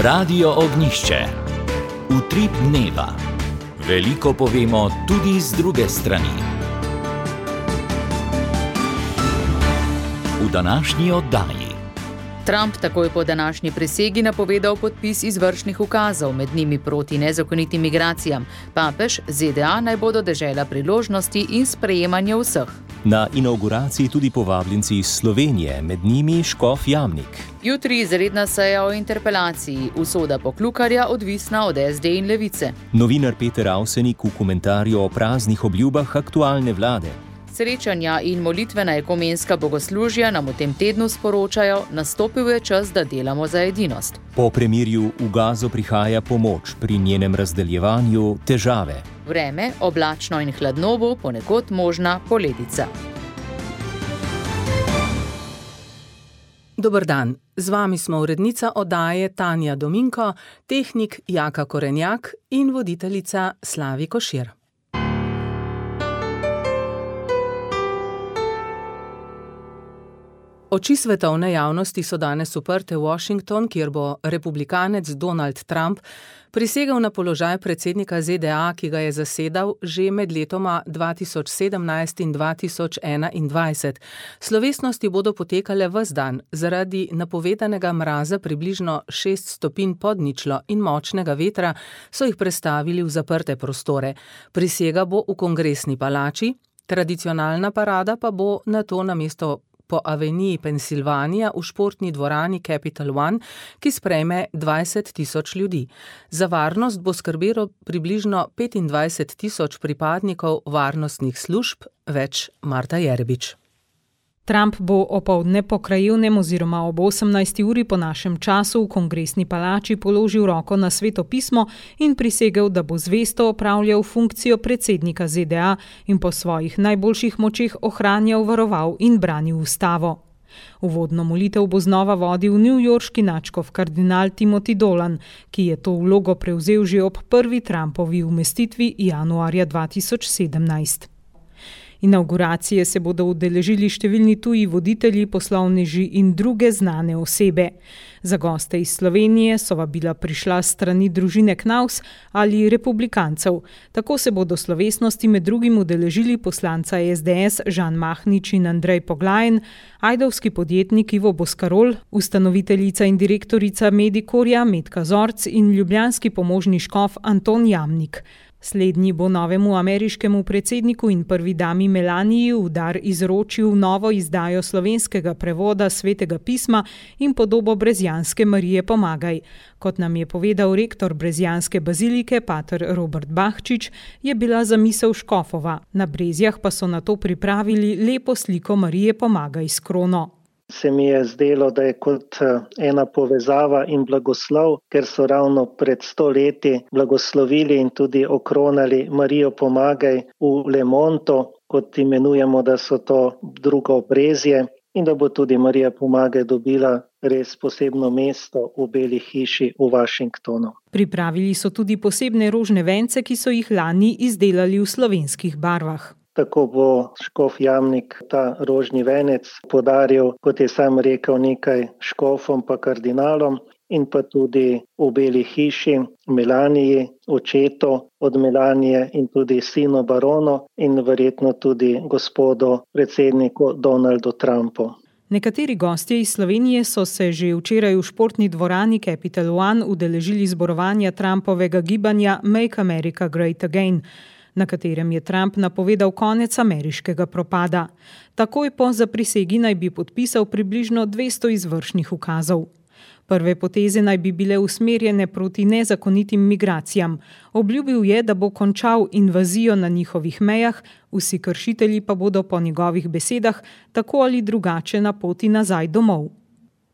Radio Ognjišče. Utrip dneva. Veliko povemo tudi z druge strani. V današnji oddaji. Trump takoj po današnji prisegi napovedal podpis izvršnih ukazov, med njimi proti nezakonitim migracijam. Papež, ZDA naj bodo dežela priložnosti in sprejemanja vseh. Na inauguraciji tudi povabljenci iz Slovenije, med njimi škof Jamnik. Jutri izredna seja o interpelaciji, usoda Poklukarja odvisna od SD in Levice. Novinar Peter Avsenik v komentarju o praznih obljubah aktualne vlade. Srečanja in molitvena ekumenska bogoslužja nam v tem tednu sporočajo, nastopil je čas, da delamo za edinost. Po premirju v Gazo prihaja pomoč, pri njenem razdeljevanju težave. Vreme, oblačno in hladno bo, ponekod možna poledica. Dober dan, z vami smo urednica oddaje Tanja Dominko, tehnik Jaka Korenjak in voditeljica Slavi Košir. Oči svetovne javnosti so danes uprte v Washington, kjer bo republikanec Donald Trump prisegel na položaj predsednika ZDA, ki ga je zasedal že med letoma 2017 in 2021. Slovesnosti bodo potekale ves dan. Zaradi napovedanega mraza približno 6 stopinj pod ničlo in močnega vetra so jih prestavili v zaprte prostore. Prisega bo v Kongresni palači, tradicionalna parada pa bo nato namesto po aveniji Pensilvanija v športni dvorani Capital One, ki sprejme 20.000 ljudi. Za varnost bo skrbelo približno 25.000 pripadnikov varnostnih služb, več Marta Jerbič. Trump bo opoldne po krajevnem oziroma ob 18. uri po našem času v Kongresni palači položil roko na Sveto pismo in prisegel, da bo zvesto opravljal funkcijo predsednika ZDA in po svojih najboljših močeh ohranjal, varoval in branil ustavo. Uvodno molitev bo znova vodil newyorški nadškof kardinal Timothy Dolan, ki je to vlogo prevzel že ob prvi Trumpovi umestitvi januarja 2017. Inauguracije se bodo udeležili številni tuji voditelji, poslovneži in druge znane osebe. Za goste iz Slovenije so vabila prišla s strani družine Knaus ali republikancev. Tako se bodo slovesnosti med drugim udeležili poslanca SDS Žan Mahnič in Andrej Poglajen, ajdovski podjetnik Ivo Boskarol, ustanoviteljica in direktorica Medikorja Metka Zorc in ljubljanski pomožni škof Anton Jamnik. Slednji bo novemu ameriškemu predsedniku in prvi dami Melaniji v dar izročil novo izdajo slovenskega prevoda Svetega pisma in podobo brezjanske Marije Pomagaj. Kot nam je povedal rektor brezjanske bazilike pater Robert Bahčič, je bila zamisel škofova. Na Brezjah pa so nato pripravili lepo sliko Marije Pomagaj s krono. Se mi je zdelo, da je kot ena povezava in blagoslov, ker so ravno pred 100 leti blagoslovili in tudi okronali Marijo Pomagaj v Lemonto, kot imenujemo, da so to drugo Brezje, in da bo tudi Marija Pomagaj dobila res posebno mesto v Beli hiši v Washingtonu. Pripravili so tudi posebne rožne vence, ki so jih lani izdelali v slovenskih barvah. Tako bo škof Jamnik ta rožni venec podaril, kot je sam rekel, nekaj škofom pa kardinalom in pa tudi v Beli hiši Melaniji, očetu od Melanije in tudi sinu baronu in verjetno tudi gospodu predsedniku Donaldu Trumpu. Nekateri gostje iz Slovenije so se že včeraj v športni dvorani Capital One udeležili zborovanja Trumpovega gibanja Make America Great Again, na katerem je Trump napovedal konec ameriškega propada. Takoj po zaprisegi naj bi podpisal približno 200 izvršnih ukazov. Prve poteze naj bi bile usmerjene proti nezakonitim migracijam. Obljubil je, da bo končal invazijo na njihovih mejah, vsi kršitelji pa bodo po njegovih besedah tako ali drugače na poti nazaj domov.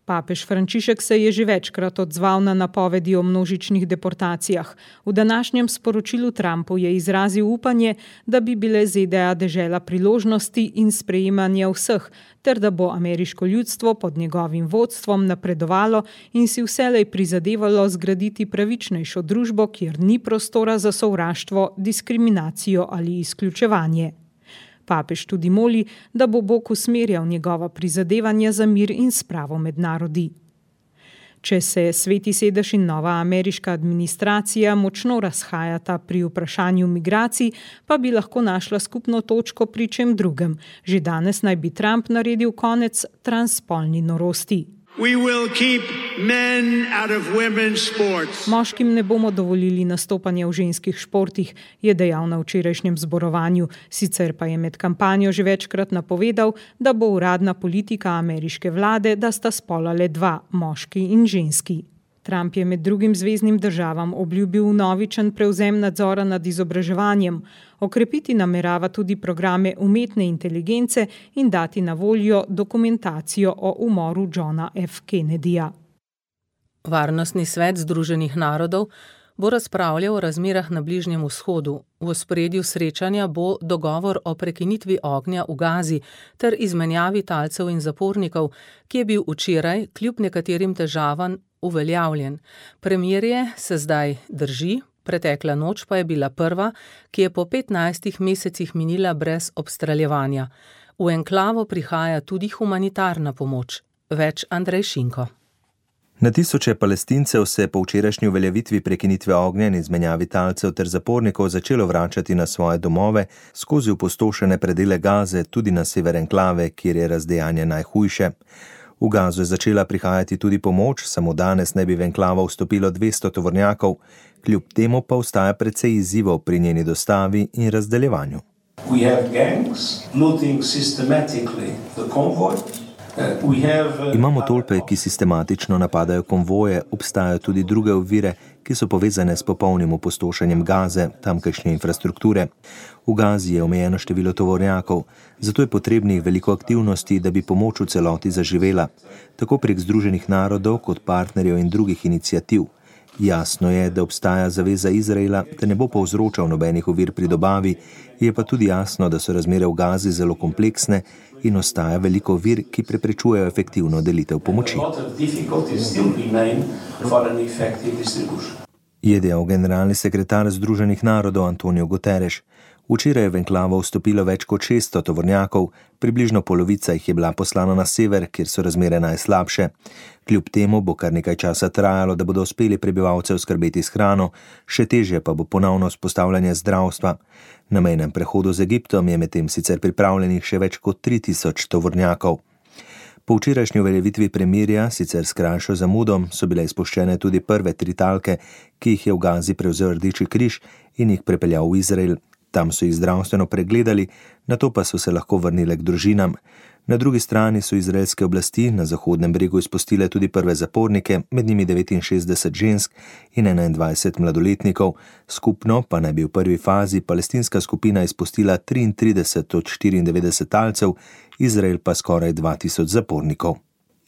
Papež Frančišek se je že večkrat odzval na napovedi o množičnih deportacijah. V današnjem sporočilu Trumpu je izrazil upanje, da bi bile ZDA dežela priložnosti in sprejemanja vseh, ter da bo ameriško ljudstvo pod njegovim vodstvom napredovalo in si vselej prizadevalo zgraditi pravičnejšo družbo, kjer ni prostora za sovraštvo, diskriminacijo ali izključevanje. Papež tudi moli, da bo Bog usmerjal njegova prizadevanja za mir in spravo med narodi. Če se Sveti sedež in nova ameriška administracija močno razhajata pri vprašanju migracij, pa bi lahko našla skupno točko pri čem drugem. Že danes naj bi Trump naredil konec transspolni norosti. Moškim ne bomo dovolili nastopanja v ženskih športih, je dejal na včerajšnjem zborovanju. Sicer pa je med kampanjo že večkrat napovedal, da bo uradna politika ameriške vlade, da sta spola le dva, moški in ženski. Trump je med drugim zveznim državam obljubil vnovičen prevzem nadzora nad izobraževanjem. Okrepiti namerava tudi programe umetne inteligence in dati na voljo dokumentacijo o umoru Johna F. Kennedyja. Varnostni svet Združenih narodov bo razpravljal o razmerah na Bližnjem vzhodu. V ospredju srečanja bo dogovor o prekinitvi ognja v Gazi ter izmenjavi talcev in zapornikov, ki je bil včeraj, kljub nekaterim težavam, uveljavljen. Premirje se zdaj drži, pretekla noč pa je bila prva, ki je po 15 mesecih minila brez obstreljevanja. V enklavo prihaja tudi humanitarna pomoč. Več Andrej Šinko. Na tisoče Palestincev se po včerajšnji uveljavitvi prekinitve ognja in izmenjavi talcev ter zapornikov začelo vračati na svoje domove skozi opustošene predele Gaze, tudi na sever enklave, kjer je razdejanje najhujše. V Gazo je začela prihajati tudi pomoč, samo danes naj bi v enklavo vstopilo 200 tovornjakov, kljub temu pa ostaja precej izzivov pri njeni dostavi in razdeljevanju. Imamo tolpe, ki sistematično napadajo konvoje, obstajajo tudi druge ovire, ki so povezane s popolnim opustošenjem Gaze, tamkajšnje infrastrukture. V Gazi je omejeno število tovornjakov, zato je potrebnih veliko aktivnosti, da bi pomoč v celoti zaživela, tako prek Združenih narodov kot partnerjev in drugih iniciativ. Jasno je, da obstaja zaveza Izraela, da ne bo povzročal nobenih ovir pri dobavi, je pa tudi jasno, da so razmere v Gazi zelo kompleksne in ostaja veliko ovir, ki preprečujejo efektivno delitev pomoči. Je dejal generalni sekretar Združenih narodov Antonio Guterres. Včeraj je v enklavo vstopilo več kot 600 tovornjakov, približno polovica jih je bila poslana na sever, kjer so razmere najslabše. Kljub temu bo kar nekaj časa trajalo, da bodo uspeli prebivalce oskrbeti s hrano, še težje pa bo ponovno vzpostavljanje zdravstva. Na mejnem prehodu z Egiptom je medtem sicer pripravljenih še več kot 3000 tovornjakov. Po včerajšnji uveljavitvi premirja, sicer s krajšo zamudom, so bile izpuščene tudi prve 3 talke, ki jih je v Gazi prevzel Rdeči križ in jih prepeljal v Izrael. Tam so jih zdravstveno pregledali, nato pa so se lahko vrnile k družinam. Na drugi strani so izraelske oblasti na Zahodnem bregu izpustile tudi prve zapornike, med njimi 69 žensk in 21 mladoletnikov. Skupno pa naj bi v prvi fazi palestinska skupina izpustila 33 od 94 talcev, Izrael pa skoraj 2000 zapornikov.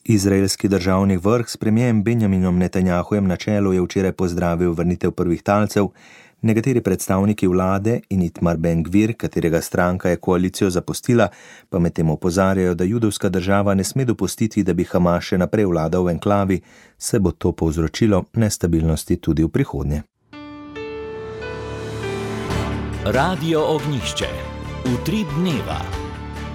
Izraelski državni vrh s premierjem Benjaminom Netanjahujem na čelu je včeraj pozdravil vrnitev prvih talcev. Nekateri predstavniki vlade in Itamar Ben-Gvir, katerega stranka je koalicijo zapustila, pa medtem opozarjajo, da judovska država ne sme dopustiti, da bi Hamas še naprej vladal v enklavi, se bo to povzročilo nestabilnosti tudi v prihodnje. Radio Ognjišče. Utrip dneva.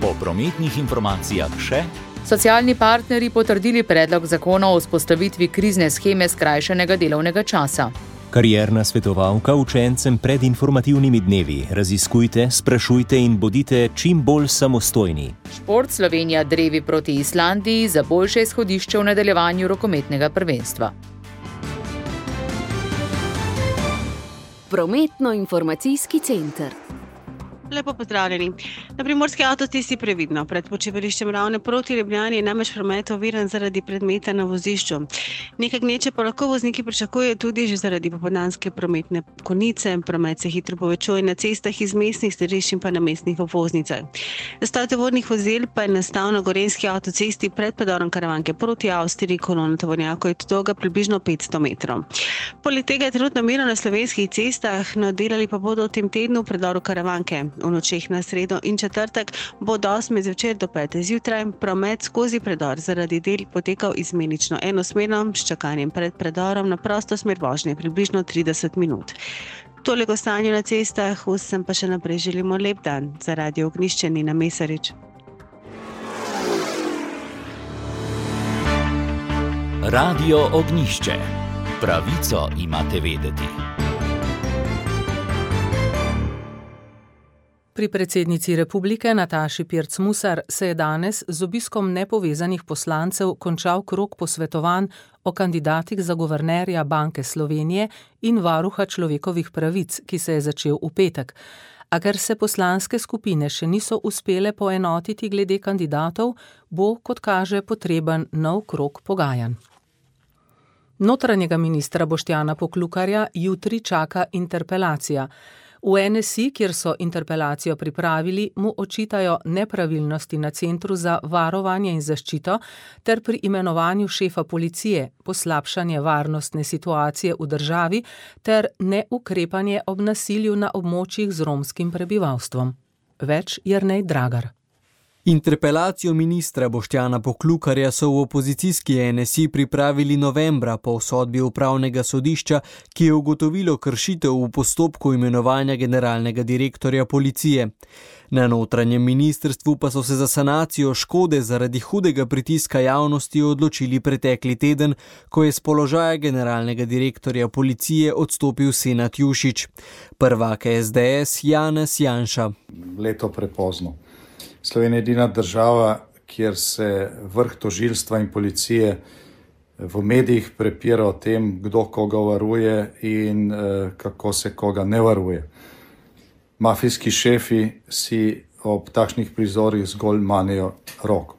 Po prometnih informacijah še. Socialni partnerji potrdili predlog zakona o vzpostavitvi krizne sheme skrajšanega delovnega časa. Karierna svetovalka učencem pred informativnimi dnevi. Raziskujte, sprašujte in bodite čim bolj samostojni. Šport Slovenija drevi proti Islandiji za boljše izhodišče v nadaljevanju rokometnega prvenstva. Prometno-informacijski center. Lepo pozdravljeni. Na primorski avtocesti previdno. Pred počivališčem Ravne proti Ljubljani je namreč promet oviran zaradi predmeta na vozišču. Nekaj gneče pa lahko vozniki pričakujejo tudi že zaradi popoldanske prometne konice. Promet se hitro povečuje na cestah iz mestnih središč in pa na mestnih obvoznicah. Zastoj tovornih vozil pa je nastal na Gorenjski avtocesti pred predorom Karavanke proti Avstriji. Kolona tovornjakov je dolga približno 500 metrov. Poleg tega je trenutno mirno na slovenskih cestah, no delali pa bodo v tem tednu v predoru Karavanke. V nočeh na sredo in četrtek bo od 8 zvečer do 5 zjutraj promet skozi predor zaradi del potekal izmenično enosmerno s čakanjem pred predorom na prosto smer vožnje približno 30 minut. Toliko o stanju na cestah, vsem pa še naprej želimo lep dan. Za Radio Ognjišče Nina Mesarič. Radio Ognjišče. Pravico imate vedeti. Pri predsednici republike Nataši Pirc Musar se je danes z obiskom nepovezanih poslancev končal krog posvetovanj o kandidatih za guvernerja Banke Slovenije in varuha človekovih pravic, ki se je začel v petek. A ker se poslanske skupine še niso uspele poenotiti glede kandidatov, bo, kot kaže, potreben nov krog pogajanj. Notranjega ministra Boštjana Poklukarja jutri čaka interpelacija. V NSI, kjer so interpelacijo pripravili, mu očitajo nepravilnosti na Centru za varovanje in zaščito ter pri imenovanju šefa policije, poslabšanje varnostne situacije v državi ter neukrepanje ob nasilju na območjih z romskim prebivalstvom. Več Jernej Dragar. Interpelacijo ministra Boštjana Poklukarja so v opozicijski NSI pripravili novembra po sodbi upravnega sodišča, ki je ugotovilo kršitev v postopku imenovanja generalnega direktorja policije. Na notranjem ministrstvu pa so se za sanacijo škode zaradi hudega pritiska javnosti odločili pretekli teden, ko je s položaja generalnega direktorja policije odstopil Senad Jušić. Prvak SDS Janez Janša. Leto prepozno. Slovenija je edina država, kjer se vrh tožilstva in policije v medijih prepira o tem, kdo koga varuje in kako se koga ne varuje. Mafijski šefi si ob takšnih prizorih zgolj manejo roko.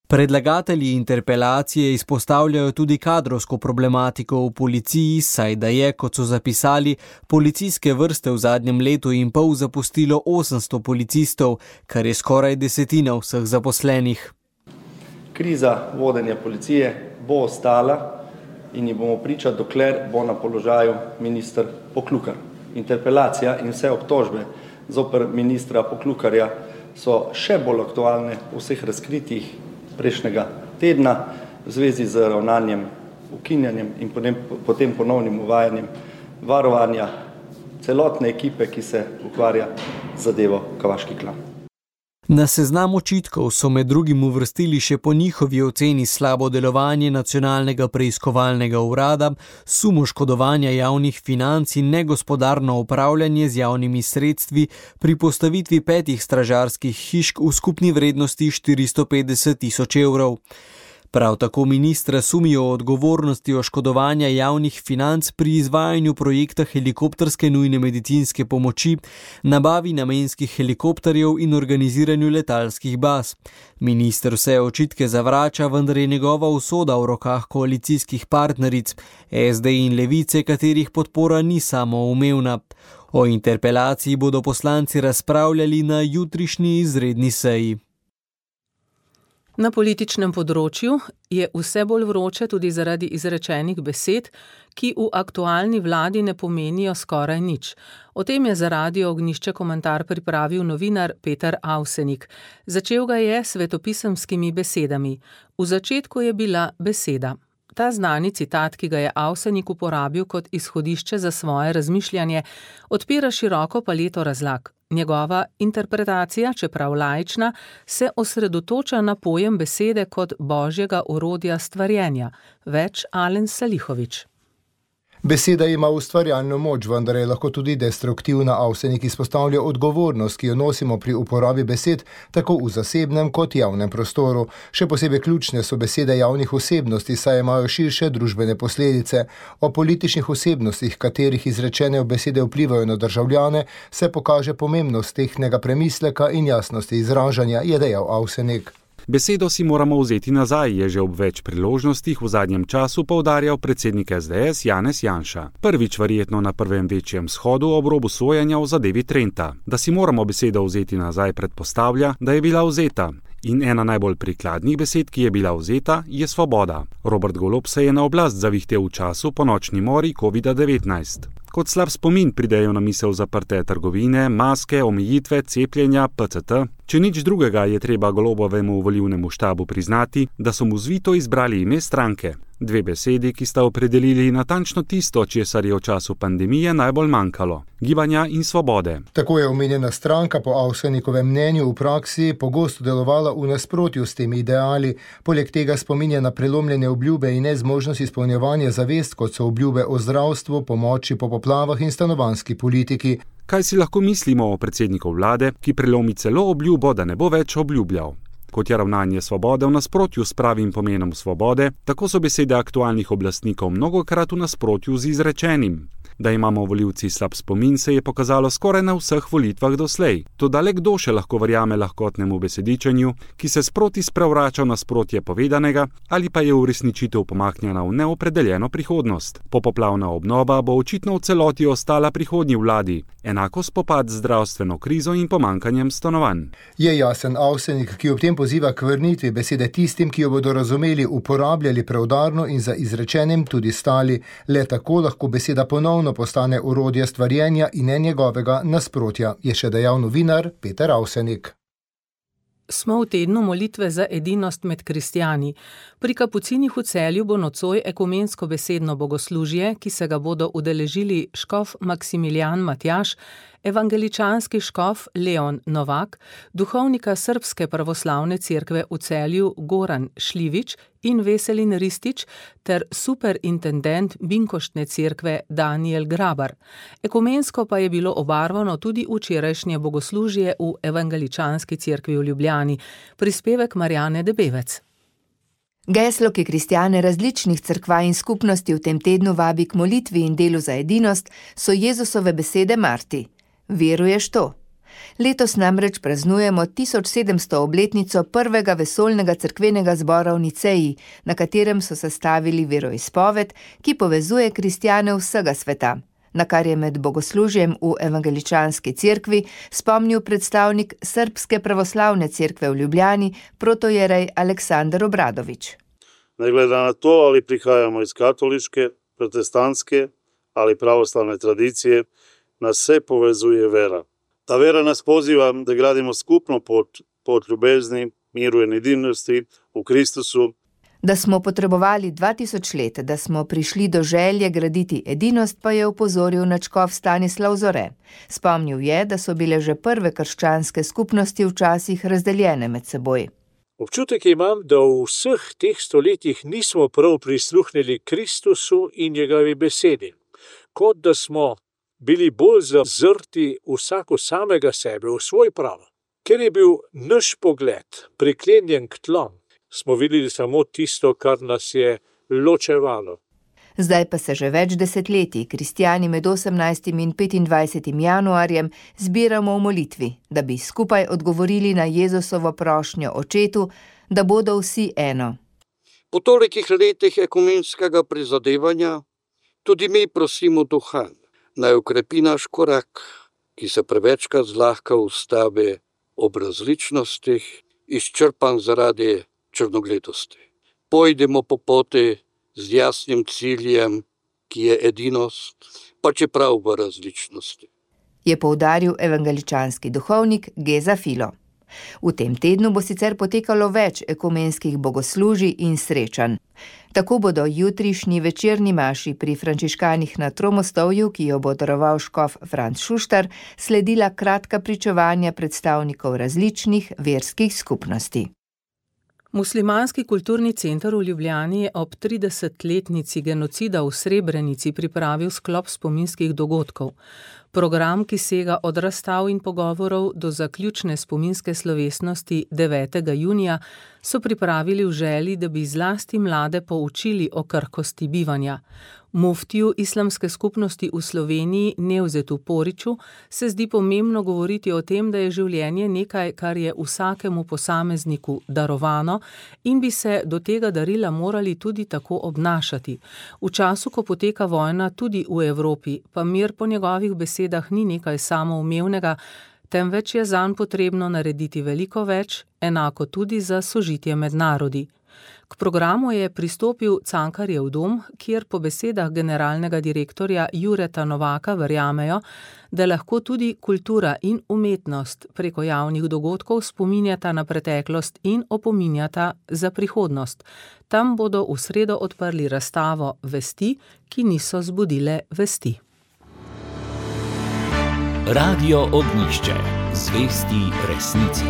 Predlagatelji interpelacije izpostavljajo tudi kadrovsko problematiko v policiji, saj da je, kot so zapisali, policijske vrste v zadnjem letu in pol zapustilo 800 policistov, kar je skoraj desetina vseh zaposlenih. Kriza vodenja policije bo ostala in ji bomo priča, dokler bo na položaju minister Poklukar. Interpelacija in vse obtožbe zoper ministra Poklukarja so še bolj aktualne v vseh razkritjih prejšnjega tedna v zvezi z ravnanjem, ukinjanjem in potem ponovnim uvajanjem varovanja celotne ekipe, ki se ukvarja z zadevo Kavaški klan. Na seznam očitkov so med drugim uvrstili še po njihovi oceni slabo delovanje nacionalnega preiskovalnega urada, sum oškodovanja javnih financ in negospodarno upravljanje z javnimi sredstvi pri postavitvi 5 stražarskih hišk v skupni vrednosti 450.000 evrov. Prav tako ministra sumijo o odgovornosti oškodovanja javnih financ pri izvajanju projekta helikopterske nujne medicinske pomoči, nabavi namenskih helikopterjev in organiziranju letalskih baz. Minister vse očitke zavrača, vendar je njegova usoda v rokah koalicijskih partneric, SD in Levice, katerih podpora ni samoumevna. O interpelaciji bodo poslanci razpravljali na jutrišnji izredni seji. Na političnem področju je vse bolj vroče tudi zaradi izrečenih besed, ki v aktualni vladi ne pomenijo skoraj nič. O tem je za Radio Ognjišče komentar pripravil novinar Peter Avsenik. Začel ga je s svetopisemskimi besedami. V začetku je bila beseda. Ta znani citat, ki ga je Avsenik uporabil kot izhodišče za svoje razmišljanje, odpira široko paleto razlag. Njegova interpretacija, čeprav laična, se osredotoča na pojem besede kot božjega orodja stvarjenja. Več Alen Salihović. Beseda ima ustvarjalno moč, vendar je lahko tudi destruktivna. Avsenik izpostavlja odgovornost, ki jo nosimo pri uporabi besed, tako v zasebnem kot javnem prostoru. Še posebej ključne so besede javnih osebnosti, saj imajo širše družbene posledice. O političnih osebnostih, katerih izrečene besede vplivajo na državljane, se pokaže pomembnost tehnega premisleka in jasnosti izražanja, je dejal Avsenik. Besedo si moramo vzeti nazaj, je že ob več priložnostih v zadnjem času poudarjal predsednik SDS Janez Janša. Prvič verjetno na prvem večjem shodu ob robu sojenja v zadevi Trenta. Da si moramo besedo vzeti nazaj, predpostavlja, da je bila vzeta. In ena najbolj prikladnih besed, ki je bila vzeta, je svoboda. Robert Golob se je na oblast zavihtel v času po nočni mori COVID-19. Kot slab spomin pridejo na misel zaprte trgovine, maske, omejitve, cepljenja, PCT. Če nič drugega, je treba Golobovemu volilnemu štabu priznati, da so mu zvito izbrali ime stranke. 2 besedi, ki sta opredelili natančno tisto, česar je v času pandemije najbolj manjkalo: gibanja in svobode. Tako je omenjena stranka po Avsenikovem mnenju v praksi pogosto delovala v nasprotju s temi ideali. Poleg tega spominja na prelomljene obljube in nezmožnost izpolnjevanja zavest, kot so obljube o zdravstvu, pomoči po poplavah in stanovanjski politiki. Kaj si lahko mislimo o predsedniku vlade, ki prelomi celo obljubo, da ne bo več obljubljal? Kot je ravnanje svobode v nasprotju s pravim pomenom svobode, tako so besede aktualnih oblastnikov mnogokrat v nasprotju z izrečenim. Da imamo volivci slab spomin, se je pokazalo skoraj na vseh volitvah doslej. Toda le kdo še lahko verjame lahkotnemu besedičenju, ki se sproti sprevrača v nasprotje povedanega ali pa je uresničitev pomaknjena v neopredeljeno prihodnost. Popoplavna obnova bo očitno v celoti ostala prihodnji vladi, enako spopad z zdravstveno krizo in pomankanjem stanovanj. Je jasen Avsenik, ki ob tem poziva k vrnitvi besede tistim, ki jo bodo razumeli, uporabljali preudarno in za izrečenim tudi stali. Le tako lahko beseda ponovno postane orodje stvarjenja in ne njegovega nasprotja, je še dejal novinar Peter Avsenik. Smo v tednu molitve za edinost med kristjani. Pri Kapucinih v Celju bo nocoj ekumensko besedno bogoslužje, ki se ga bodo udeležili škof Maksimilijan Matjaž, evangeličanski škof Leon Novak, duhovnika Srbske pravoslavne cerkve v Celju Goran Šljivić in Veselin Ristić ter superintendent Binkoštne cerkve Daniel Grabar. Ekumensko pa je bilo obarvano tudi včerajšnje bogoslužje v evangeličanski cerkvi v Ljubljani. Prispevek Marjane Debevec. Geslo, ki kristjane različnih cerkva in skupnosti v tem tednu vabi k molitvi in delu za edinost, so Jezusove besede Marti. Veruješ to? Letos namreč praznujemo 1700. obletnico prvega vesoljnega cerkvenega zbora v Niceji, na katerem so sestavili veroizpoved, ki povezuje kristjane vsega sveta, na kar je med bogoslužjem v evangeličanski cerkvi spomnil predstavnik Srbske pravoslavne cerkve v Ljubljani, protojerej Aleksandar Obradović. Ne glede na to, ali prihajamo iz katoliške, protestantske ali pravoslavne tradicije, nas vse povezuje vera. Ta vera nas poziva, da gradimo skupno pot ljubezni, miru in edinosti v Kristusu. Da smo potrebovali 2000 let, da smo prišli do želje graditi edinost, pa je opozoril nadškof Stanislav Zore. Spomnil je, da so bile že prve krščanske skupnosti včasih razdeljene med seboj. Občutek imam, da v vseh teh stoletjih nismo prav prisluhnili Kristusu in njegovi besedi, kot da smo bili bolj zazrti vsako samega sebe v svoj prav. Ker je bil naš pogled priklenjen k tlom, smo videli samo tisto, kar nas je ločevalo. Zdaj pa se že več desetletij kristjani med 18. in 25. januarjem zbiramo v molitvi, da bi skupaj odgovorili na Jezusovo prošnjo Očetu, da bodo vsi eno. Po tolikih letih ekumenskega prizadevanja tudi mi prosimo Duha, naj ukrepi naš korak, ki se prevečkrat zlahka ustavi ob različnostih, izčrpan zaradi črnogledosti. Pojdimo po poti z jasnim ciljem, ki je edinost, pa čeprav v različnosti. Je poudaril evangeličanski duhovnik Geza Filo. V tem tednu bo sicer potekalo več ekumenskih bogoslužij in srečanj. Tako bodo jutrišnji večerni maši pri frančiškanih na Tromostovju, ki jo bo daroval škof Franc Šuštar, sledila kratka pričevanja predstavnikov različnih verskih skupnosti. Muslimanski kulturni center v Ljubljani je ob 30-letnici genocida v Srebrenici pripravil sklop spominskih dogodkov. Program, ki sega od razstav in pogovorov do zaključne spominske slovesnosti 9. junija, so pripravili v želji, da bi zlasti mlade poučili o krhkosti bivanja. Muftiju islamske skupnosti v Sloveniji Nevzetu Poriču se zdi pomembno govoriti o tem, da je življenje nekaj, kar je vsakemu posamezniku darovano in bi se do tega darila morali tudi tako obnašati. V času, ko poteka vojna tudi v Evropi, pa mir po njegovih besedah ni nekaj samoumevnega, temveč je zanj potrebno narediti veliko več, enako tudi za sožitje med narodi. K programu je pristopil Cankarjev dom, kjer po besedah generalnega direktorja Jureta Novaka verjamejo, da lahko tudi kultura in umetnost preko javnih dogodkov spominjata na preteklost in opominjata za prihodnost. Tam bodo v sredo odprli razstavo Vesti, ki niso zbudile vesti. Radio Ognjišče. Zvesti resnici.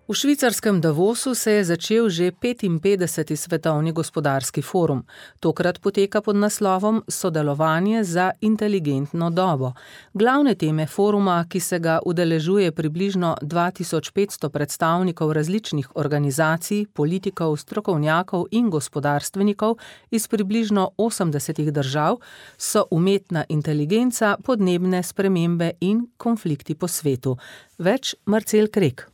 V švicarskem Davosu se je začel že 55. svetovni gospodarski forum. Tokrat poteka pod naslovom Sodelovanje za inteligentno dobo. Glavne teme foruma, ki se ga udeležuje približno 2500 predstavnikov različnih organizacij, politikov, strokovnjakov in gospodarstvenikov iz približno 80 držav, so umetna inteligenca, podnebne spremembe in konflikti po svetu. Več Marcel Krek.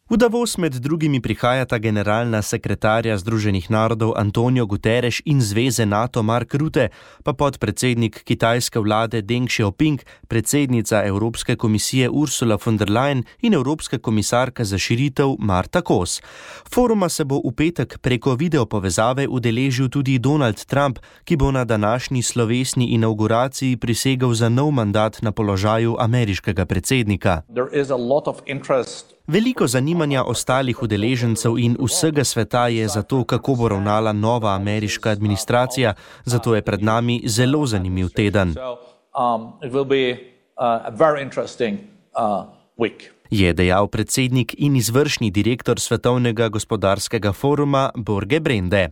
V Davos med drugimi prihajata generalna sekretarja Združenih narodov Antonio Guterres in zveze NATO Mark Rutte, pa podpredsednik kitajske vlade Deng Xiaoping, predsednica Evropske komisije Ursula von der Leyen in Evropska komisarka za širitev Marta Kos. Foruma se bo v petek preko videopovezave udeležil tudi Donald Trump, ki bo na današnji slovesni inauguraciji prisegel za nov mandat na položaju ameriškega predsednika. Veliko zanimanja ostalih udeležencev in vsega sveta je za to, kako bo ravnala nova ameriška administracija, zato je pred nami zelo zanimiv teden. Je dejal predsednik in izvršni direktor Svetovnega gospodarskega foruma Borge Brende.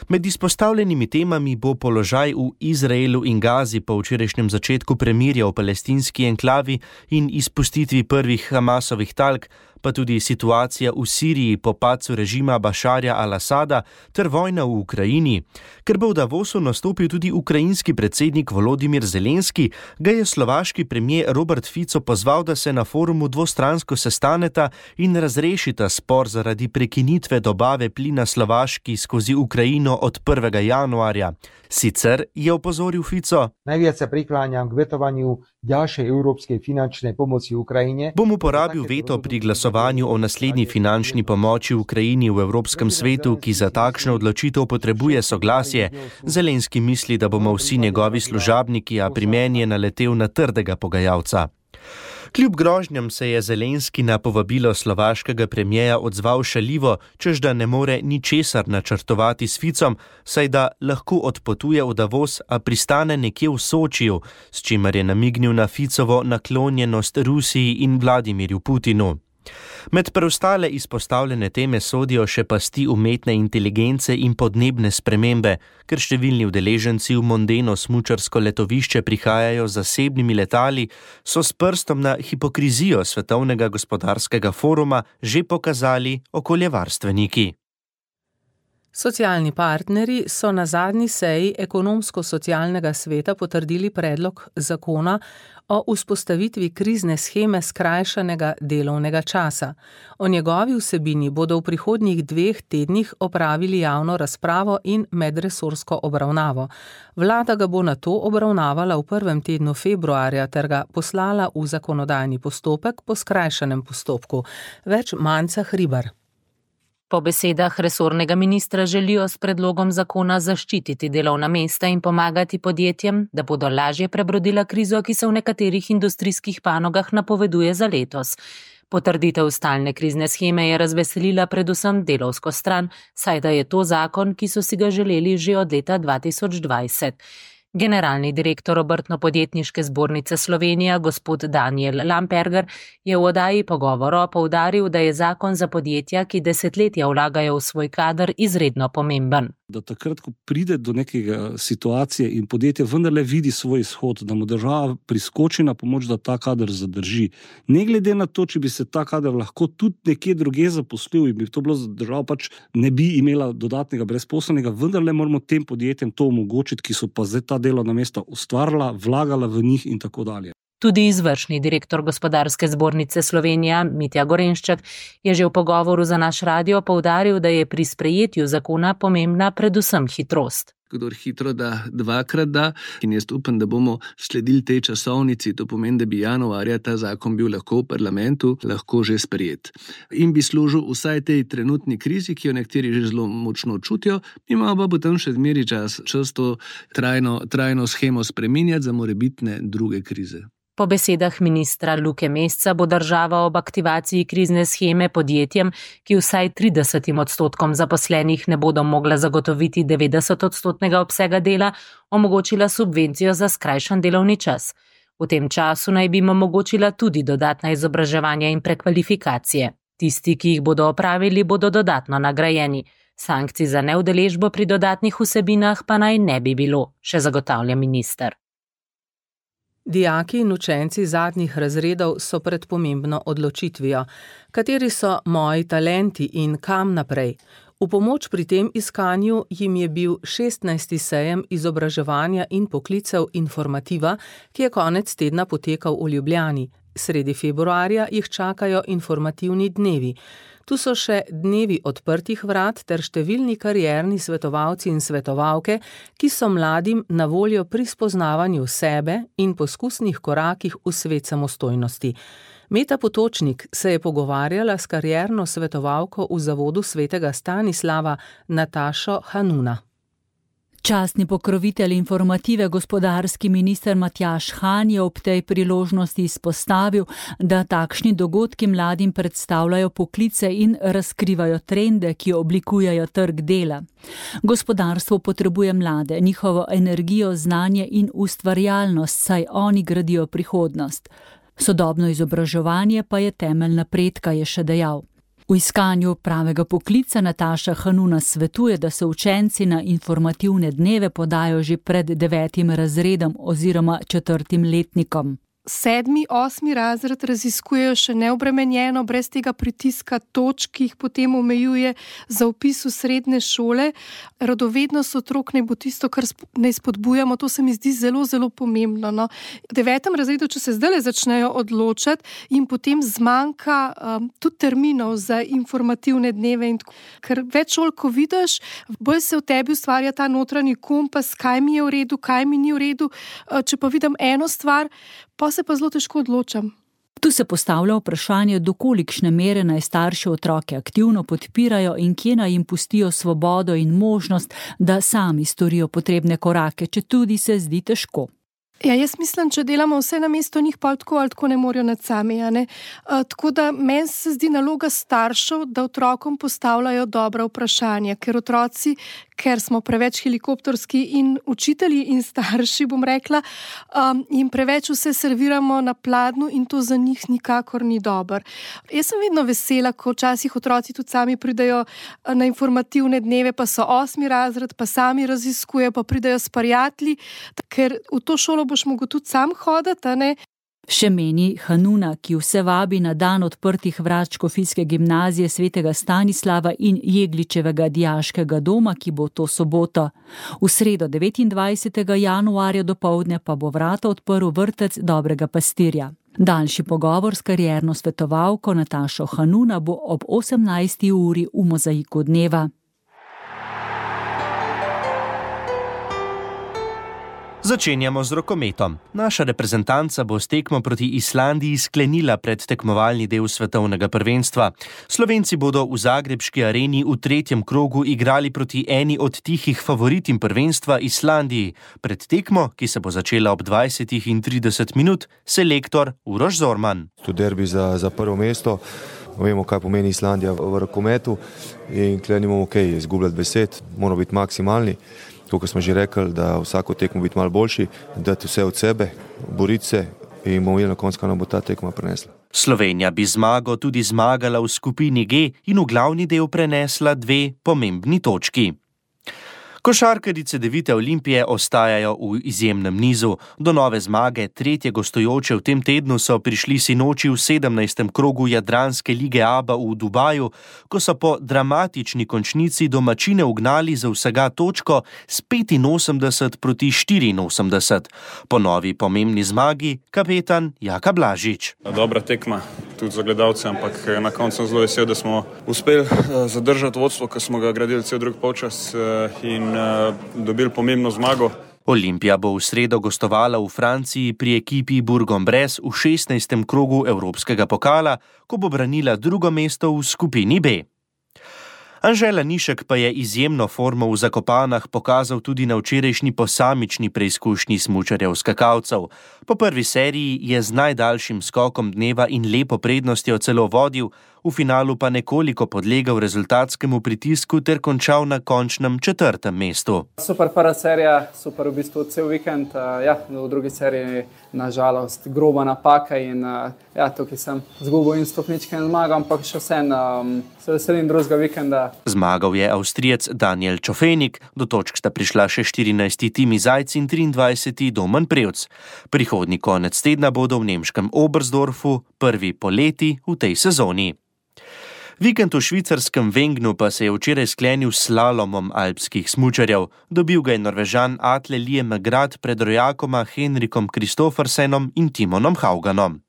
Med izpostavljenimi temami bo položaj v Izraelu in Gazi po včerajšnjem začetku premirja v palestinski enklavi in izpustitvi prvih Hamasovih talk, pa tudi situacija v Siriji po padcu režima Bašarja al-Asada ter vojna v Ukrajini. Ker bo v Davosu nastopil tudi ukrajinski predsednik Volodimir Zelenski, ga je slovaški premier Robert Fico pozval, da se na forumu dvostransko sestaneta in razrešita spor zaradi prekinitve dobave plina Slovaški skozi Ukrajino od 1. januarja. Sicer je opozoril Fico: Najviac sa prikláňam k vetovanju ďalšej európskej finančnej pomoci Ukrajine. Bom uporabil veto pri glasovanju o naslednji finančni pomoči Ukrajini v Evropskem svetu, ki za takšno odločitev potrebuje soglasje. Zelenski misli, da bomo vsi njegovi služabniki, a pri meni je naletel na trdega pogajalca. Kljub grožnjam se je Zelenski na povabilo slovaškega premijeja odzval šaljivo, češ da ne more ničesar načrtovati s Ficom, saj da lahko odpotuje v Davos, a pristane nekje v Sočiju, s čimer je namignil na Ficovo naklonjenost Rusiji in Vladimirju Putinu. Med preostale izpostavljene teme sodijo še pasti umetne inteligence in podnebne spremembe, ker številni udeleženci v mondeno smučarsko letovišče prihajajo z zasebnimi letali, so s prstom na hipokrizijo Svetovnega gospodarskega foruma že pokazali okoljevarstveniki. Socialni partnerji so na zadnji seji ekonomsko-socialnega sveta potrdili predlog zakona o vzpostavitvi krizne sheme skrajšanega delovnega časa. O njegovi vsebini bodo v prihodnjih 2 tednih opravili javno razpravo in medresorsko obravnavo. Vlada ga bo nato obravnavala v prvem tednu februarja ter ga poslala v zakonodajni postopek po skrajšanem postopku. Več Manca Hribar. Po besedah resornega ministra želijo s predlogom zakona zaščititi delovna mesta in pomagati podjetjem, da bodo lažje prebrodila krizo, ki se v nekaterih industrijskih panogah napoveduje za letos. Potrditev stalne krizne sheme je razveselila predvsem delovsko stran, saj da je to zakon, ki so si ga želeli že od leta 2020. Generalni direktor Obrtno-podjetniške zbornice Slovenija, gospod Daniel Lamperger, je v oddaji Pogovora poudaril, da je zakon za podjetja, ki desetletja vlagajo v svoj kader, izredno pomemben. Da takrat, ko pride do nekega situacije in podjetje vendarle vidi svoj izhod, da mu država priskoči na pomoč, da ta kader zadrži. Ne glede na to, če bi se ta kader lahko tudi nekje druge zaposlil in bi to bilo za državo, pač ne bi imela dodatnega brezposelnega, vendarle moramo tem podjetjem to omogočiti, ki so pa zdaj ta delovna mesta ustvarila, vlagala v njih in tako dalje. Tudi izvršni direktor Gospodarske zbornice Slovenija, Mitja Gorenšček, je že v pogovoru za naš radio poudaril, da je pri sprejetju zakona pomembna predvsem hitrost. kdor hitro da, dvakrat da. In jaz upam, da bomo sledili tej časovnici, to pomeni, da bi januarja ta zakon bil lahko v parlamentu, lahko že sprejet. In bi služil vsaj tej trenutni krizi, ki jo nekateri že zelo močno čutijo, imamo pa potem še zmeri čas to trajno shemo spreminjati za morebitne druge krize. Po besedah ministra Luke Mesca bo država ob aktivaciji krizne sheme podjetjem, ki vsaj 30% zaposlenih ne bodo mogla zagotoviti 90% obsega dela, omogočila subvencijo za skrajšan delovni čas. V tem času naj bi jim omogočila tudi dodatna izobraževanja in prekvalifikacije. Tisti, ki jih bodo opravili, bodo dodatno nagrajeni. Sankcij za neudeležbo pri dodatnih vsebinah pa naj ne bi bilo, še zagotavlja minister. Dijaki in učenci zadnjih razredov so pred pomembno odločitvijo. Kateri so moji talenti in kam naprej? V pomoč pri tem iskanju jim je bil 16. sejem izobraževanja in poklicev Informativa, ki je konec tedna potekal v Ljubljani. Sredi februarja jih čakajo informativni dnevi. Tu so še dnevi odprtih vrat ter številni karierni svetovalci in svetovalke, ki so mladim na voljo pri spoznavanju sebe in poskusnih korakih v svet samostojnosti. Meta Potočnik se je pogovarjala s karierno svetovalko v Zavodu svetega Stanislava Natašo Hanuna. Častni pokrovitelj Informative, gospodarski minister Matjaž Han, je ob tej priložnosti izpostavil, da takšni dogodki mladim predstavljajo poklice in razkrivajo trende, ki oblikujejo trg dela. Gospodarstvo potrebuje mlade, njihovo energijo, znanje in ustvarjalnost, saj oni gradijo prihodnost. Sodobno izobraževanje pa je temelj napredka, je še dejal. V iskanju pravega poklica Nataša Hanuna svetuje, da se učenci na informativne dneve podajo že pred 9. razredom oziroma 4. letnikom. 7., 8. razred raziskujejo še neobremenjeno, brez tega pritiska točk, ki jih potem omejuje za vpis v srednje šole. Radovednost otrok naj bo tisto, kar naj spodbujamo, to se mi zdi zelo, zelo pomembno. No. V 9. razredu, če se zdaj začnejo odločati, jim potem zmanjka tudi terminov za informativne dneve. Ker več šol, ko vidiš, bolj se v tebi ustvarja ta notranji kompas, kaj mi je v redu, kaj mi ni v redu. Če pa vidim eno stvar, pa se pa zelo težko odločam. Tu se postavlja vprašanje, do kolikšne mere naj starši otroke aktivno podpirajo in kje naj jim pustijo svobodo in možnost, da sami storijo potrebne korake, če tudi se zdi težko. Ja, jaz mislim, če delamo vse namesto njih, pa tako ali tako ne morajo nad sami. Tako da meni se zdi naloga staršev, da otrokom postavljajo dobra vprašanja, ker smo preveč helikopterski in učitelji in starši, bom rekla, in preveč vse serviramo na pladnju in to za njih nikakor ni dobro. Jaz sem vedno vesela, ko včasih otroci tudi sami pridejo na informativne dneve, pa so 8. razred, pa sami raziskujejo, pa pridejo s prijatelji, ker v to šolo boš mogel tudi sam hoditi, ne? Še meni Hanuna, ki vse vabi na dan odprtih vrat Škofijske gimnazije svetega Stanislava in Jegličevega dijaškega doma, ki bo to soboto. V sredo 29. januarja dopoldne pa bo vrata odprl vrtec Dobrega pastirja. Daljši pogovor s karierno svetovalko Natašo Hanuna bo ob 18. uri v Mozaiku dneva. Začenjamo z rokometom. Naša reprezentanca bo s tekmo proti Islandiji sklenila predtekmovalni del svetovnega prvenstva. Slovenci bodo v zagrebški areni v 3. krogu igrali proti eni od tihih favoritim prvenstva Islandiji. Pred tekmo, ki se bo začela ob 20:30 minut, selektor Uroš Zorman. To derbi za prvo mesto. Vemo, kaj pomeni Islandija v rokometu in tukaj nimamo izgubljati besed, moramo biti maksimalni. Kot smo že rekli, da vsako tekmo biti malo boljši, dati vse od sebe, boriti se in bomo videli na koncu, kaj nam bo ta tekma prenesla. Slovenija bi zmago tudi zmagala v skupini G in v glavni del prenesla 2 pomembni točki. Košarkarice Devite Olimpije ostajajo v izjemnem nizu. Do nove zmage 3. gostujoče v tem tednu so prišli sinoči v 17. krogu Jadranske lige ABA v Dubaju, ko so po dramatični končnici domačine ugnali za vsega točko s 85-84. Po novi pomembni zmagi kapetan Jaka Blažič. Dobra tekma, tudi za gledalce, ampak na koncu sem zelo vesel, da smo uspeli zadržati vodstvo, ker smo ga gradili cel drug polčas in dobili pomembno zmago. Olimpija bo v sredo gostovala v Franciji pri ekipi Bourg-en-Bresse v 16. krogu Evropskega pokala, ko bo branila drugo mesto v skupini B. Anžela Nišek pa je izjemno formo v Zakopanah pokazal tudi na včerajšnji posamični preizkušnji smučarjev skakalcev. Po prvi seriji je z najdaljšim skokom dneva in lepo prednostjo celo vodil, v finalu pa nekoliko podlegal rezultatskemu pritisku ter končal na končnem 4. mestu. Super prva serija, super v bistvu cel vikend. V drugi seriji nažalost groba napaka in tukaj sem zgubil in stopničke in zmagal, ampak še vsem se veselim drugega vikenda. Zmagal je Avstrijec Daniel Čofenik, do točk sta prišla še 14. Timi Zajc in 23. Domen Prevc. Prihodnji konec tedna bodo v nemškem Oberstdorfu prvi poleti v tej sezoni. Vikend v švicarskem Wengnu pa se je včeraj sklenil s slalomom alpskih smučarjev. Dobil ga je Norvežan Atle Liemgrad pred rojakoma Henrikom Kristoffersenom in Timonom Hauganom.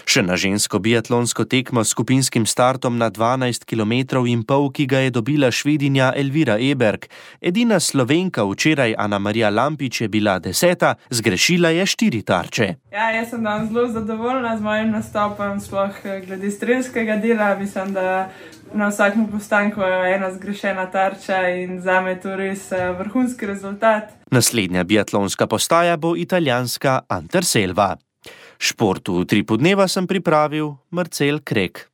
Še na žensko biatlonsko tekmo s skupinskim startom na 12,5 km, ki ga je dobila Švedinja Elvira Eberg. Edina Slovenka včeraj, Ana-Marija Lampič, je bila 10., zgrešila je 4 tarče. Jaz sem danes zelo zadovoljna z mojim nastopom, sploh glede strelskega dela. Mislim, da na vsakem postanku je ena zgrešena tarča in zame je to res vrhunski rezultat. Naslednja biatlonska postaja bo italijanska Anterselva. Športu v Utripu dneva sem pripravil Marcel Krek.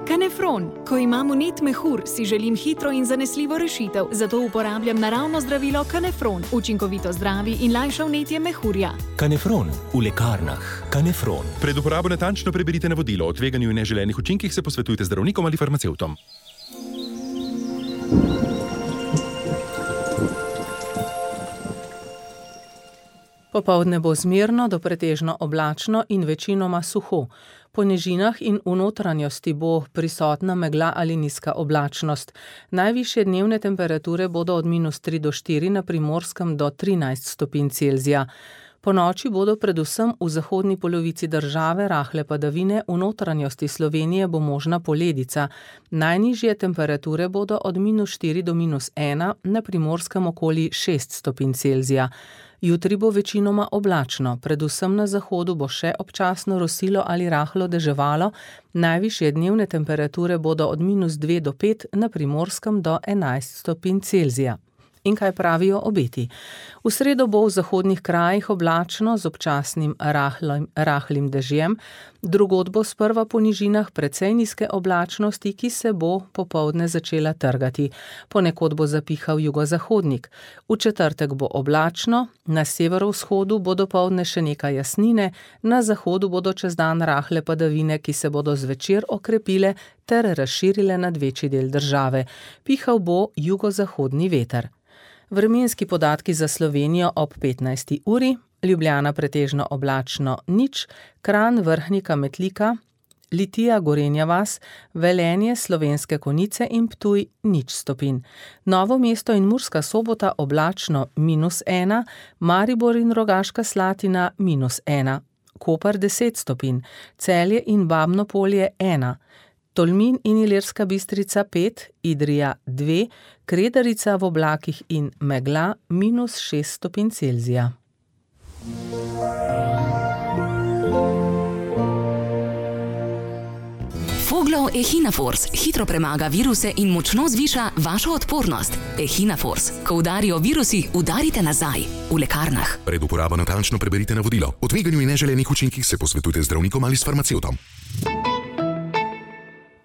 Kanefron. Ko imam vnet mehur, si želim hitro in zanesljivo rešitev, zato uporabljam naravno zdravilo Kanefron. Učinkovito zdravi in lajša vnetje mehurja. Kanefron v lekarnah. Kanefron. Pred uporabo natančno preberite navodilo. O tveganju in neželenih učinkih se posvetujte z zdravnikom ali farmacevtom. Popoldne bo zmerno do pretežno oblačno in večinoma suho. Po nižinah in v notranjosti bo prisotna megla ali nizka oblačnost. Najvišje dnevne temperature bodo od -3 do 4, na Primorskem do 13 stopinj Celzija. Po noči bodo predvsem v zahodni polovici države rahle padavine, v notranjosti Slovenije bo možna poledica. Najnižje temperature bodo od -4 do -1, na Primorskem okoli 6 stopinj Celzija. Jutri bo večinoma oblačno, predvsem na zahodu bo še občasno rosilo ali rahlo deževalo, najvišje dnevne temperature bodo od -2 do 5, na Primorskem do 11 stopinj Celzija. In kaj pravijo obeti? V sredo bo v zahodnih krajih oblačno z občasnim rahlim dežjem, drugod bo sprva po nižinah precej nizke oblačnosti, ki se bo popoldne začela trgati. Ponekod bo zapihal jugozahodnik. V četrtek bo oblačno, na severovzhodu bo dopoldne še nekaj jasnine, na zahodu bodo čez dan rahle padavine, ki se bodo zvečer okrepile ter razširile nad večji del države. Pihal bo jugozahodni veter. Vremenski podatki za Slovenijo ob 15. uri, Ljubljana pretežno oblačno 0, Kranj, Vrhnika, Metlika, Litija, Gorenja vas, Velenje, Slovenske Konjice in Ptuj 0 stopinj. Novo mesto in Murska Sobota oblačno -1, Maribor in Rogaška Slatina -1, Koper 10 stopinj, Celje in Babno Polje 1, Tolmin in Ilirska Bistrica 5, Idrija 2, Kredarica v oblakih in megla -6 stopinj Celzija. Foglov Echinafors hitro premaga viruse in močno zviša vašo odpornost. Echinafors. Ko udarijo virusi, udarite nazaj. V lekarnah. Pred uporabo natančno preberite navodilo. O tveganju in neželenih učinkih se posvetujte z zdravnikom ali s farmacevtom.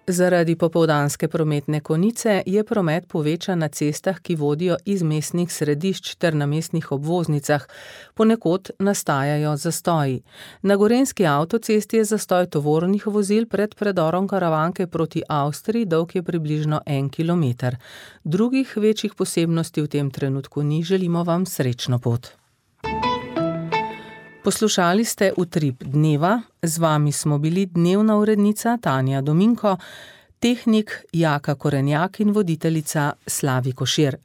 Zaradi popoldanske prometne konice je promet povečan na cestah, ki vodijo iz mestnih središč ter na mestnih obvoznicah. Ponekod nastajajo zastoji. Na gorenjski avtocesti je zastoj tovornih vozil pred predorom Karavanke proti Avstriji, dolg je približno 1 kilometer. Drugih večjih posebnosti v tem trenutku ni, želimo vam srečno pot. Poslušali ste Utrip dneva, z vami smo bili dnevna urednica Tanja Dominko, tehnik Jaka Korenjak in voditeljica Slavi Košir.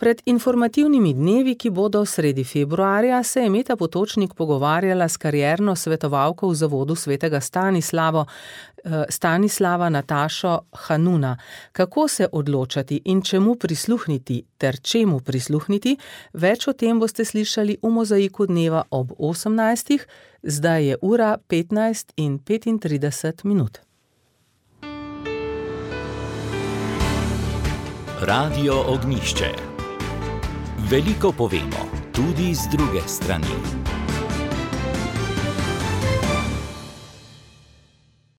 Pred informativnimi dnevi, ki bodo sredi februarja, se je Meta Potočnik pogovarjala s karierno svetovalko v Zavodu svetega Stanislava Natašo Hanuna. Kako se odločati in čemu prisluhniti ter čemu prisluhniti, več o tem boste slišali v Mozaiku dneva ob 18. Zdaj je ura 15:35. Radio Ognjišče. Veliko povemo, tudi z druge strani.